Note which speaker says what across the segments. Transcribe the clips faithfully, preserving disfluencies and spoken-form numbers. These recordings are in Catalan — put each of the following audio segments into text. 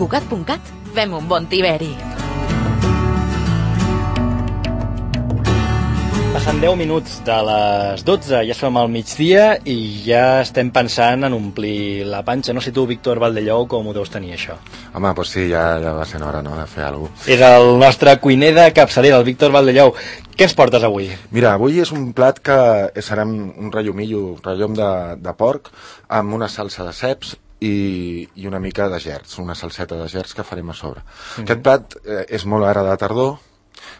Speaker 1: Cugat punt cat, fem un bon tiberi.
Speaker 2: Passen deu minuts de les dotze, ja som al migdia i ja estem pensant en omplir la panxa. No sé tu, Víctor Valdellou, com ho deus tenir, això?
Speaker 3: Home, doncs sí, ja, ja va ser hora, no?, de fer alguna cosa.
Speaker 2: És el nostre cuiner de capçalera, el Víctor Valdellou. Què ens portes avui?
Speaker 3: Mira, avui és un plat que serà un rellomillo, rellom de, de porc, amb una salsa de ceps i, i una mica de gerds, una salseta de gerds que farem a sobre. Mm-hmm. Aquest plat eh, és molt ara de tardor,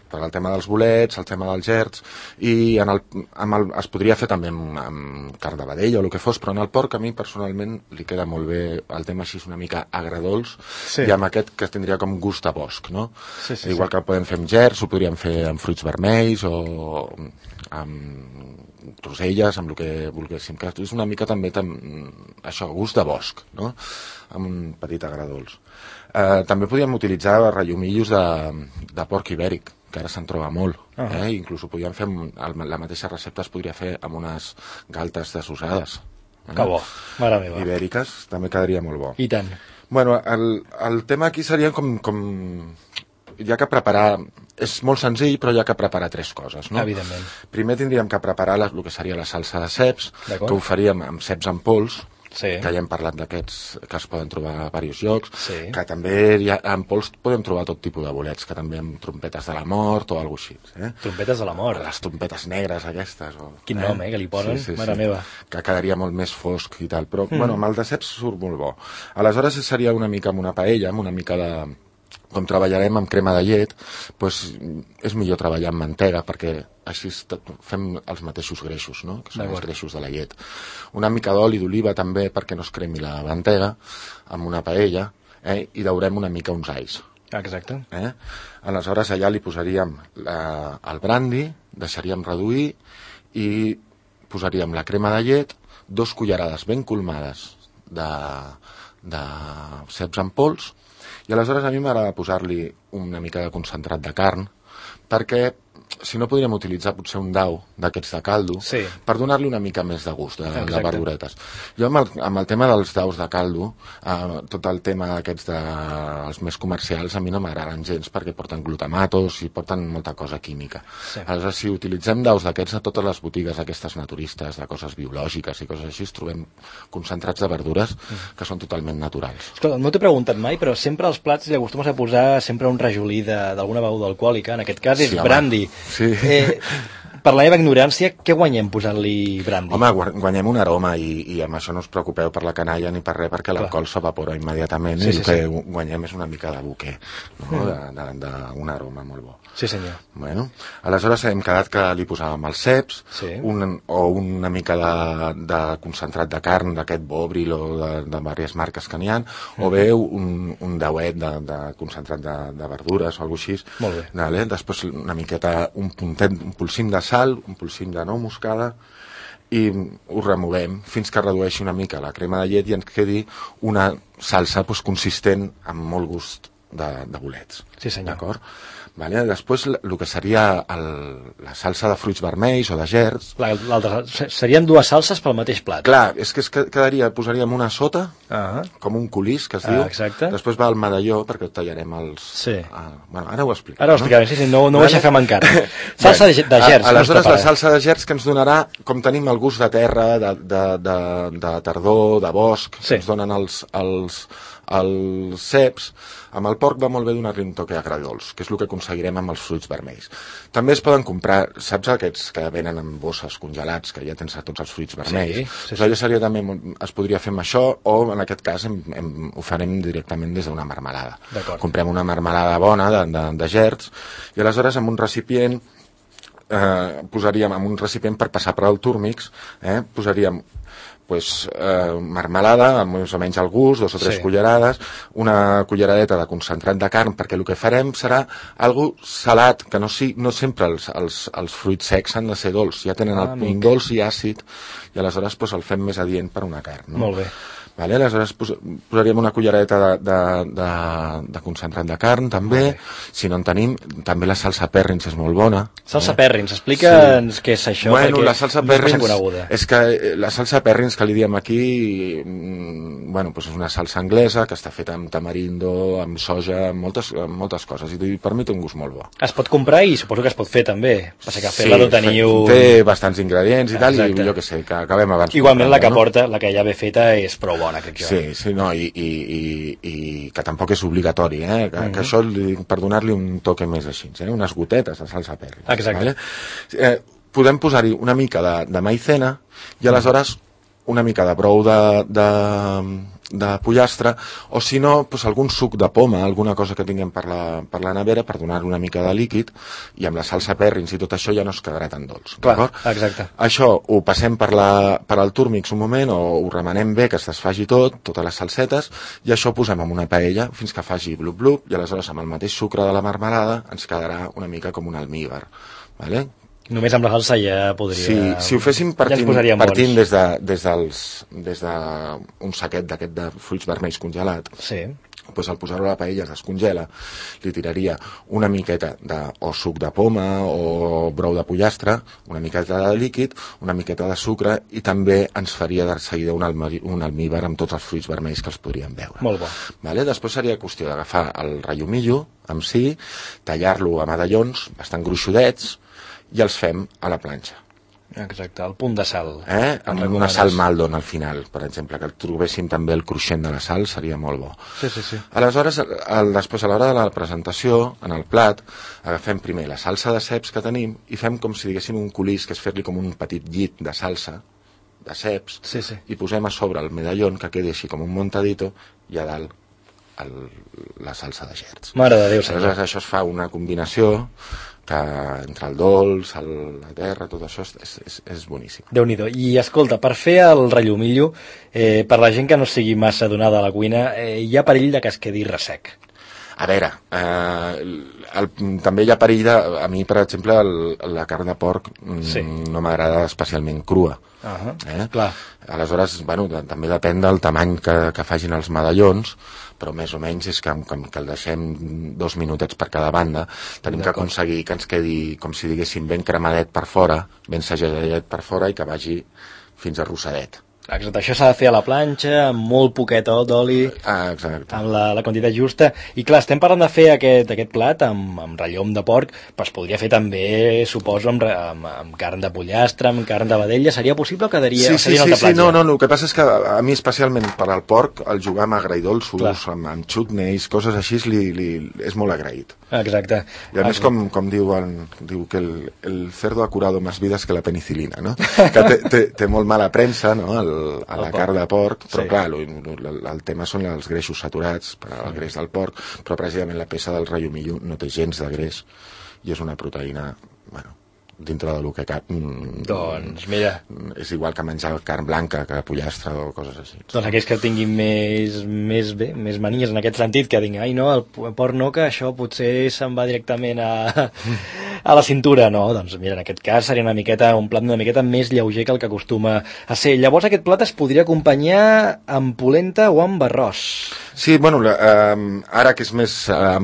Speaker 3: per el tema dels bolets, el tema dels gerds, i en el, amb el, es podria fer també amb, amb carn de vedella o el que fos, però en el porc a mi personalment li queda molt bé el tema així una mica agredolç, sí. I amb aquest que tindria com gust a bosc, no? Sí, sí, igual sí. Que el podem fer amb gerds, ho podríem fer amb fruits vermells o amb roselles, amb el que volguéssim, que és una mica també tam, això, gust de bosc, no? Amb un petit agredolç. Eh, també podríem utilitzar rellomillos de, de porc ibèric, que ara se'n troba molt, uh -huh. eh? Inclús ho podríem fer, amb, la mateixa recepta es podria fer amb unes galtes desossades. Eh?
Speaker 2: Que bo, mare meva.
Speaker 3: Ibèriques, també quedaria molt bo.
Speaker 2: I tant.
Speaker 3: Bueno, el, el tema aquí seria com, com... Hi ha que preparar... És molt senzill, però hi ha que preparar tres coses, no?
Speaker 2: Evidentment.
Speaker 3: Primer tindríem que preparar la, el que seria la salsa de ceps, que ho faríem amb ceps en pols, sí. Que ja hem parlat d'aquests que es poden trobar a diversos llocs, sí. Que també hi ha, en pols podem trobar tot tipus de bolets, que també amb trompetes de la mort o alguna cosa així. Eh?
Speaker 2: Trompetes de la mort?
Speaker 3: Les trompetes negres aquestes. O,
Speaker 2: Quin eh? nom, eh, que li posen, sí, sí, mare sí. meva.
Speaker 3: Que quedaria molt més fosc i tal, però mm. bueno, amb el de ceps surt molt bo. Aleshores seria una mica amb una paella, amb una mica de... Com treballarem amb crema de llet, doncs és millor treballar amb mantega, perquè així fem els mateixos greixos, no? Que són els greixos de la llet. Una mica d'oli d'oliva també, perquè no es cremi la mantega, amb una paella, eh? I daurem una mica uns alls.
Speaker 2: Exacte.
Speaker 3: Eh? Aleshores allà li posaríem la, el brandi, deixaríem reduir i posaríem la crema de llet, dos cullerades ben colmades de, de ceps en pols. I aleshores a mi m'agrada posar-li una mica de concentrat de carn, perquè si no podríem utilitzar potser un dau d'aquests de caldo, sí. Per donar-li una mica més de gust, de, de verduretes. Jo amb el, amb el tema dels daus de caldo, eh, tot el tema aquests de, els més comercials a mi no m'agraden gens perquè porten glutamatos i porten molta cosa química. Sí. Aleshores, si utilitzem daus d'aquests a totes les botigues aquestes naturistes, de coses biològiques i coses així, trobem concentrats de verdures mm. que són totalment naturals.
Speaker 2: Escolta, no t'he preguntat mai, però sempre als plats li acostumes a posar sempre un rajolí d'alguna beguda alcohòlica, en aquest cas és sí, brandy.
Speaker 3: Sí.
Speaker 2: Eh, per la meva ignorància, què guanyem posant-li brandy?
Speaker 3: Home, guanyem un aroma i, i amb això no us preocupeu per la canalla ni per res, perquè l'alcohol s'evapora immediatament sí, i el sí, que sí. guanyem és una mica de buquer, no? mm. d'un aroma molt bo.
Speaker 2: Sí, senyor.
Speaker 3: Bueno, aleshores hem quedat que li posàvem els ceps sí. un, o una mica de, de concentrat de carn d'aquest Bovril o de, de diverses marques que n'hi ha, mm. o bé un, un dauet de, de concentrat de, de verdures o alguna cosa així.
Speaker 2: Molt bé.
Speaker 3: Vale? Després una miqueta, un puntet, un polsim de sal, un polsim de nou moscada i ho removem fins que redueixi una mica la crema de llet i ens quedi una salsa pues, consistent amb molt gust de, de bolets.
Speaker 2: Sí, senyor.
Speaker 3: D'acord? Vale? Després el que seria el, la salsa de fruits vermells o de gerds.
Speaker 2: Serien dues salses pel mateix plat.
Speaker 3: Clar, és que es quedaria, posaríem una sota, uh-huh. com un colís que es diu,
Speaker 2: uh,
Speaker 3: després va el medalló perquè tallarem els...
Speaker 2: Sí.
Speaker 3: Uh, bueno, ara ho explico.
Speaker 2: Ara ho explicarem, no? sí, sí, no, no vale. Ho deixa fer encara. Salsa de, de gerds.
Speaker 3: Aleshores la salsa de gerds que ens donarà, com tenim el gust de terra, de, de, de, de tardor, de bosc, sí. que ens donen els... els els ceps, amb el porc va molt bé donar-li un toque agredolç, que és el que aconseguirem amb els fruits vermells. També es poden comprar, saps aquests que venen en bosses congelats, que ja tens a tots els fruits vermells? Sí, sí, sí. Allò seria també, es podria fer amb això, o en aquest cas hem, hem, ho farem directament des d'una marmelada. Comprem una marmelada bona de, de, de gerds, i aleshores amb un recipient, eh, posaríem en un recipient per passar per al túrmix, eh, posaríem pues, eh, marmelada, més o menys al gust, dos o tres sí. cullerades, una culleradeta de concentrat de carn, perquè el que farem serà algo salat, que no, si, no sempre els, els, els fruits secs han de ser dolç, ja tenen ah, el punt dolç i àcid, i aleshores pues, el fem més adient per una carn. No?
Speaker 2: Molt bé.
Speaker 3: Vale? Aleshores pos posaríem una culleradeta de, de, de, de concentrat de carn, també. Si no en tenim, també la salsa Perrins és molt bona.
Speaker 2: Salsa eh? Perrins, explica'ns sí. què és això,
Speaker 3: bueno,
Speaker 2: perquè
Speaker 3: la salsa
Speaker 2: no és ben
Speaker 3: Perrins
Speaker 2: coneguda.
Speaker 3: És que la salsa Perrins, que li diem aquí, bueno, doncs és una salsa anglesa que està feta amb tamarindo, amb soja, amb moltes, amb moltes coses, i per mi té un gust molt bo.
Speaker 2: Es pot comprar i suposo que es pot fer també, passa que fer-la no teniu...
Speaker 3: té bastants ingredients i tal, i jo què sé, que acabem abans.
Speaker 2: Igualment la que porta, la que ja ve feta, és prou bona, crec jo.
Speaker 3: Sí, sí, no, i, i, i, i que tampoc és obligatori, eh? Que, mm-hmm. que això, per donar-li un toque més així, eh? Unes gotetes de salsa perri.
Speaker 2: Exacte.
Speaker 3: Vale? Eh, podem posar-hi una mica de, de maicena i aleshores una mica de brou de, de, de pollastre, o si no, doncs algun suc de poma, alguna cosa que tinguem per la, per la nevera per donar una mica de líquid, i amb la salsa perrins i tot això ja no es quedarà tan dolç.
Speaker 2: Clar, exacte.
Speaker 3: Això ho passem per, la, per al túrmix un moment, o ho remenem bé, que es desfaci tot, totes les salsetes, i això ho posem en una paella fins que faci blup-blup, i aleshores amb el mateix sucre de la marmelada ens quedarà una mica com un almíbar. Vale?
Speaker 2: Només amb la salsa ja podria...
Speaker 3: Sí, si ho féssim partint, ja partint des de, des dels, des de un saquet d'aquest de fruits vermells congelat,
Speaker 2: sí.
Speaker 3: Doncs al posar-ho a la paella es descongela, li tiraria una miqueta de, o suc de poma o brou de pollastre, una miqueta de líquid, una miqueta de sucre, i també ens faria de seguida un, almi, un almíbar amb tots els fruits vermells que els podríem veure.
Speaker 2: Molt bo.
Speaker 3: Vale? Després seria qüestió d'agafar el rallomillo amb si, tallar-lo a medallons bastant gruixudets, i els fem a la planxa.
Speaker 2: Exacte, el punt de sal.
Speaker 3: Eh? Amb una sal Maldon al final, per exemple, que trobéssim també el cruixent de la sal, seria molt bo.
Speaker 2: Sí, sí, sí.
Speaker 3: Aleshores, el, després, a l'hora de la presentació, en el plat, agafem primer la salsa de ceps que tenim i fem com si diguéssim un colís, que és fer-li com un petit llit de salsa, de ceps,
Speaker 2: sí, sí.
Speaker 3: I posem a sobre el medallón, que quedi així com un montadito, i a dalt el, la salsa de gerds.
Speaker 2: Mare de Déu, senyor.
Speaker 3: Aleshores, això es fa una combinació que entre el dolç, el, la terra, tot això és, és, és boníssim.
Speaker 2: Déu-n'hi-do. I escolta, per fer el rallomillo, eh, per la gent que no sigui massa donada a la cuina, eh, hi ha perill de que es quedi ressec.
Speaker 3: A veure, eh, el, també hi ha perill de... A mi, per exemple, el, la carn de porc sí. no m'agrada especialment crua.
Speaker 2: Uh-huh.
Speaker 3: eh?
Speaker 2: Clar.
Speaker 3: Aleshores, bueno, de, també depèn del tamany que, que facin els medallons, però més o menys és que, que, que el deixem dos minutets per cada banda. Tenim que aconseguir que ens quedi, com si diguéssim, ben cremadet per fora, ben segellat per fora, i que vagi fins a rossadet.
Speaker 2: Exacte, això s'ha de fer a la planxa, amb molt poquet d'oli,
Speaker 3: ah, amb
Speaker 2: la, la quantitat justa. I clar, estem parlant de fer aquest, aquest plat amb, amb ratllom de porc, però es podria fer també, suposo, amb, amb, amb carn de pollastre, amb carn de vedella. Seria possible o quedaria,
Speaker 3: sí, sí,
Speaker 2: seria
Speaker 3: sí,
Speaker 2: un altre plat?
Speaker 3: Sí, no, no, el que passa és que a mi especialment per al porc, el jugar amb agredolços, amb, amb chutneys, coses així, li, li, és molt agraït.
Speaker 2: Exacte.
Speaker 3: I a més, com, com diuen, diu que el, el cerdo ha curado más vidas que la penicilina, no? Que té, té, té molt mala premsa, no?, el, a la carn de porc, però sí. Clar, el, el tema són els greixos saturats, per al greix del porc, però precisament la peça del rallomillo no té gens de greix i és una proteïna, bueno, dintre del que cap.
Speaker 2: Doncs mira,
Speaker 3: és igual que menjar carn blanca que pollastre o coses així.
Speaker 2: Doncs aquells que tinguin més, més bé, més manies en aquest sentit, que diguin, ai no, el porc no, que això potser se'n va directament a, a la cintura. No, doncs mira, en aquest cas seria una miqueta, un plat una miqueta més lleuger que el que acostuma a ser. Llavors aquest plat es podria acompanyar amb polenta o amb arròs.
Speaker 3: Sí, bueno, eh, ara que és més, eh,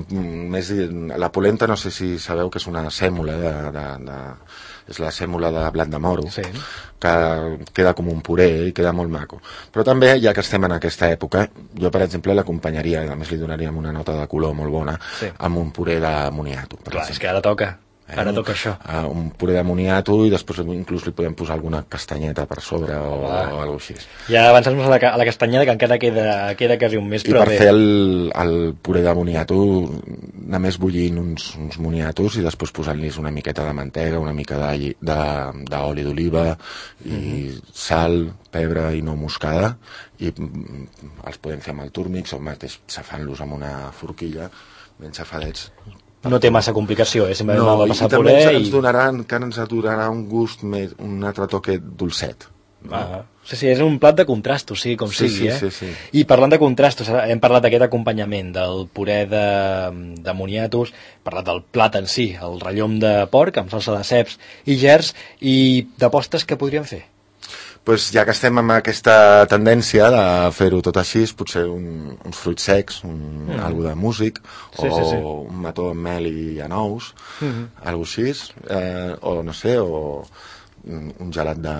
Speaker 3: més... La polenta, no sé si sabeu que és una sèmola de... de, de és la sèmola de blat de moro,
Speaker 2: sí.
Speaker 3: Que queda com un puré i queda molt maco. Però també, ja que estem en aquesta època, jo, per exemple, l'acompanyaria, a més li donaríem una nota de color molt bona, sí. Amb un puré de moniato.
Speaker 2: Clar, és que ara toca. Eh? Ara toca això.
Speaker 3: Uh, un puré de moniato i després inclús li podem posar alguna castanyeta per sobre o, o alguna cosa així.
Speaker 2: Ja avançar-nos a, la, a la castanyeta, que encara queda, queda quasi un mes,
Speaker 3: I
Speaker 2: però
Speaker 3: per
Speaker 2: bé.
Speaker 3: fer el, el puré de moniato, només bullint uns, uns moniatos i després posant-los una miqueta de mantega, una mica d'oli d'oliva i mm-hmm. sal, pebre i nou moscada, i els podem fer amb el túrmix o mateix xafant-los amb una forquilla, ben xafadets.
Speaker 2: No té massa complicació, eh? Simplement
Speaker 3: no,
Speaker 2: de passar
Speaker 3: i també
Speaker 2: puré
Speaker 3: ens,
Speaker 2: i...
Speaker 3: donaran, que ens donarà un gust més, un altre toque dolcet. No?
Speaker 2: Ah, sí, sí, és un plat de contrastos, sí, com
Speaker 3: sí,
Speaker 2: sigui,
Speaker 3: sí,
Speaker 2: eh?
Speaker 3: Sí, sí.
Speaker 2: I parlant de contrastos, hem parlat d'aquest acompanyament del puré de, de moniatos, hem parlat del plat en si, el rallom de porc amb salsa de ceps i gerds, i de postres que podríem fer?
Speaker 3: Pues ja que estem amb aquesta tendència de fer-ho tot així, potser un, uns fruits secs, un, mm. algo de músic,
Speaker 2: sí,
Speaker 3: o
Speaker 2: sí, sí.
Speaker 3: un mató amb mel i anous, mm -hmm. algo així, eh, o no sé, o un gelat de,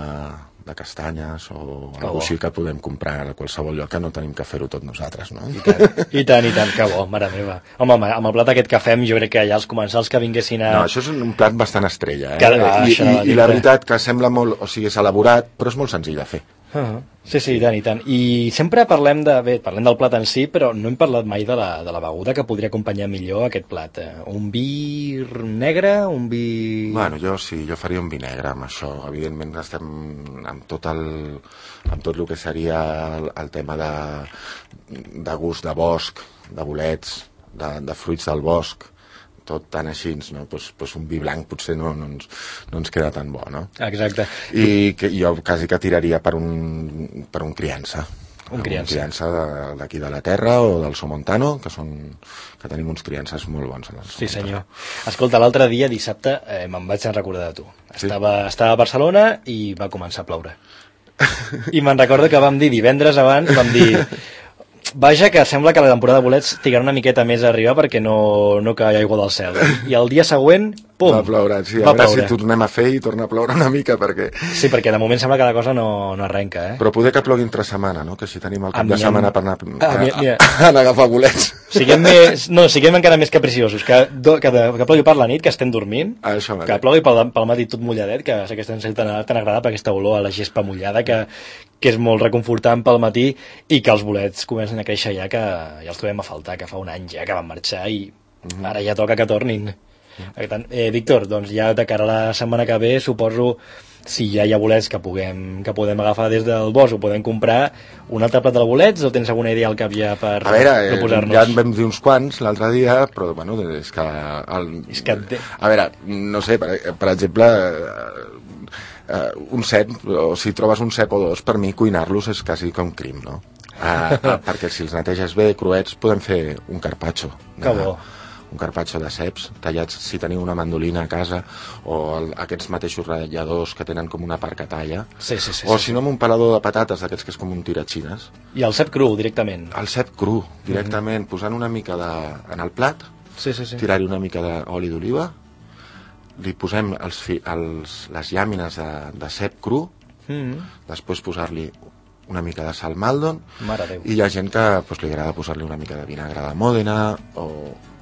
Speaker 3: de castanyes o alguna cosa així que podem comprar a qualsevol lloc, que no tenim que fer-ho tot nosaltres, no?
Speaker 2: I tant, i tant, i tant, que bo, mare meva. Home, amb el plat aquest que fem, jo crec que ja els comensals que vinguessin a...
Speaker 3: No, això és un plat bastant estrella, eh?
Speaker 2: Que, ah,
Speaker 3: I,
Speaker 2: això,
Speaker 3: i, I la veritat que sembla molt... O sigui, és elaborat, però és molt senzill de fer.
Speaker 2: Uh -huh. Sí, sí, i tant, i tant. I sempre parlem de... Bé, parlem del plat en si, però no hem parlat mai de la, de la beguda que podria acompanyar millor aquest plat. Un vi negre, un vi...
Speaker 3: Bueno, jo sí, jo faria un vi negre amb això. Evidentment estem amb tot el, amb tot el que seria el, el tema de, de gust de bosc, de bolets, de, de fruits del bosc, tot tan així, no? Pues, pues un vi blanc potser no, no, ens, no ens queda tan bo, no?
Speaker 2: Exacte.
Speaker 3: I que jo quasi que tiraria per un, per un criança.
Speaker 2: Un criança.
Speaker 3: Un criança d'aquí de, de la terra o del Somontano, que són que tenim uns criances molt bons. En el
Speaker 2: sí, senyor. Escolta, l'altre dia, dissabte, eh, me'n vaig recordar de tu. Sí? Estava, estava a Barcelona i va començar a ploure. I me'n recordo que vam dir divendres abans, vam dir... Vaja, que sembla que la temporada de bolets trigarà una miqueta més a arribar perquè no, no cau aigua del cel. I el dia següent, pum,
Speaker 3: va ploure. Sí, a veure si tornem a fer i torna a ploure una mica perquè...
Speaker 2: Sí, perquè de moment sembla que la cosa no, no arrenca, eh?
Speaker 3: Però poder que plogui entre setmana, no? Que si tenim el cap de setmana per anar a,
Speaker 2: a, a,
Speaker 3: a, a agafar bolets.
Speaker 2: Siguem més, no, siguem encara més capriciosos, que, do, que, de, que plogui per la nit, que estem dormint,
Speaker 3: ah, això
Speaker 2: que plogui pel, pel matí tot mulladet, que sé que estem tan, tan agradable aquesta olor a la gespa mullada, que, que és molt reconfortant pel matí, i que els bolets comencen a créixer ja, que ja els trobem a faltar, que fa un any ja que van marxar i mm-hmm. ara ja toca que tornin. Per tant, eh, Víctor, doncs ja de cara a la setmana que ve, suposo, si ja hi ha bolets que puguem, que podem agafar des del bosc o podem comprar un altre plat de bolets, o tens alguna idea al cap ja per
Speaker 3: a veure,
Speaker 2: proposar-nos?
Speaker 3: Ja en vam dir uns quants l'altre dia, però bueno, és que... El...
Speaker 2: És que...
Speaker 3: A veure, no sé, per, per exemple... Uh, un cep, o si trobes un cep o dos, per mi cuinar-los és quasi com crim, no? Uh, uh, perquè si els neteges bé, cruets, podem fer un carpaccio.
Speaker 2: Que bo.
Speaker 3: Un carpaccio de ceps tallats, si teniu una mandolina a casa, o el, aquests mateixos ratlladors que tenen com una part que talla,
Speaker 2: sí, sí, sí,
Speaker 3: o
Speaker 2: sí,
Speaker 3: si no amb un pelador de patates d'aquests que és com un tiratxines.
Speaker 2: I el cep cru, directament?
Speaker 3: El cep cru, directament, mm-hmm. posant una mica de... en el plat,
Speaker 2: sí, sí, sí.
Speaker 3: tirar-hi una mica d'oli d'oliva, li posem els fi, els, les llàmines de, de cep cru, mm-hmm. després posar-li una mica de sal Maldon, i hi ha gent que pues, li agrada posar-li una mica de vinagre de Mòdena o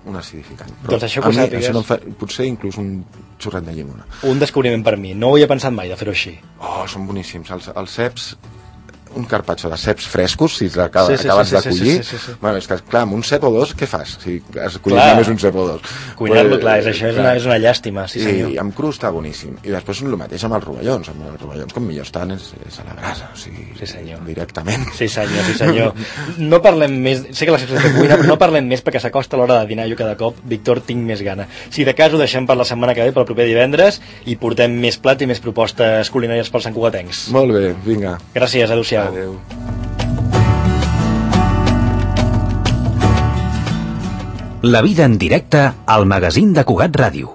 Speaker 3: un acidificant. Però
Speaker 2: doncs això,
Speaker 3: a mi,
Speaker 2: sàpigues...
Speaker 3: això no fa, potser inclús un xorret de llimona.
Speaker 2: Un descobriment per mi, no ho havia pensat mai de fer-ho així.
Speaker 3: Oh, són boníssims. Els, els ceps, un carpaccio de ceps frescos, si acabes sí, sí, sí, de collir, sí, sí, sí, sí. Bueno, és que clar, amb un cep o dos, què fas? Si has collit només un cep o dos.
Speaker 2: Cuinar-lo, clar, és, això és una, és una llàstima, sí senyor.
Speaker 3: I amb cru està boníssim. I després el mateix amb els rovellons. Amb els rovellons com millor estan és, és a la brasa, o sigui,
Speaker 2: sí, senyor.
Speaker 3: Directament.
Speaker 2: Sí senyor, sí senyor. No parlem més, sé que la secció de cuina, però no parlem més perquè s'acosta l'hora de dinar, jo cada cop, Víctor, tinc més gana. Si de cas ho deixem per la setmana que ve, pel proper divendres, i portem més plats i més propostes culinàries pels santcugatencs.
Speaker 3: Molt bé, vinga.
Speaker 2: Gràcies, adéu-siau.
Speaker 3: Adéu.
Speaker 4: La vida en directe al magazín de Cugat Ràdio.